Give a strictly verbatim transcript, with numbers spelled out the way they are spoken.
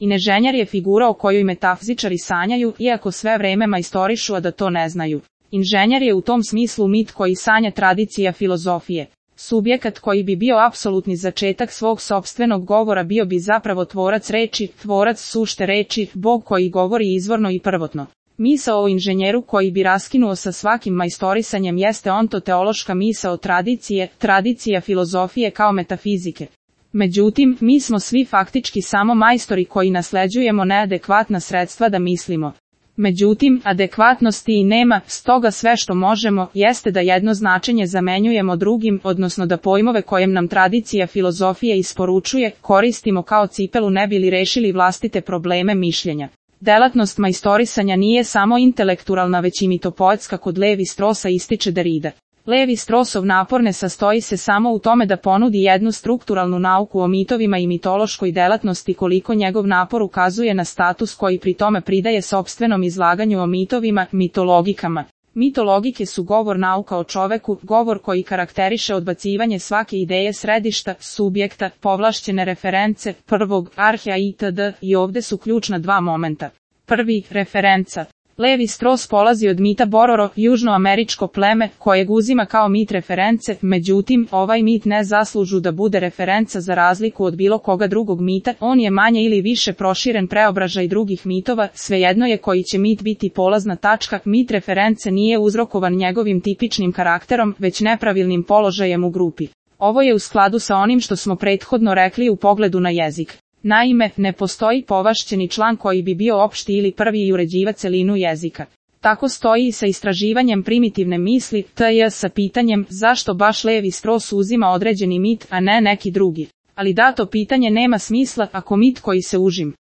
Inženjer je figura o kojoj metafizičari sanjaju, iako sve vreme majstorišu, a da to ne znaju. Inženjer je u tom smislu mit koji sanja tradicija filozofije. Subjekat koji bi bio apsolutni začetak svog sopstvenog govora bio bi zapravo tvorac reči, tvorac sušte reči, Bog koji govori izvorno i prvotno. Misao o inženjeru koji bi raskinuo sa svakim majstorisanjem jeste ontoteološka misao tradicije, tradicija filozofije kao metafizike. Međutim, mi smo svi faktički samo majstori koji nasleđujemo neadekvatna sredstva da mislimo. Međutim, adekvatnosti i nema, stoga sve što možemo, jeste da jedno značenje zamenjujemo drugim, odnosno da pojmove kojem nam tradicija filozofije isporučuje, koristimo kao cipelu ne bi li rešili vlastite probleme mišljenja. Delatnost majstorisanja nije samo intelektualna već i mitopoetska, kod Levi Strosa ističe Derrida. Levi Strosov napor ne sastoji se samo u tome da ponudi jednu strukturalnu nauku o mitovima i mitološkoj delatnosti, koliko njegov napor ukazuje na status koji pri tome pridaje sopstvenom izlaganju o mitovima, mitologikama. Mitologike su govor nauka o čoveku, govor koji karakteriše odbacivanje svake ideje središta, subjekta, povlašćene reference, prvog, arhea itd. I ovde su ključna dva momenta. Prvi, referenca. Levi Strauss polazi od mita Bororo, južnoameričko pleme, kojeg uzima kao mit reference, međutim, ovaj mit ne zaslužu da bude referenca za razliku od bilo koga drugog mita, on je manje ili više proširen preobražaj drugih mitova, svejedno je koji će mit biti polazna tačka, mit reference nije uzrokovan njegovim tipičnim karakterom, već nepravilnim položajem u grupi. Ovo je u skladu sa onim što smo prethodno rekli u pogledu na jezik. Naime, ne postoji povašćeni član koji bi bio opšti ili prvi i uređiva celinu jezika. Tako stoji i sa istraživanjem primitivne misli, tj. sa pitanjem zašto baš Levi Strauss uzima određeni mit, a ne neki drugi. Ali dato pitanje nema smisla ako mit koji se užim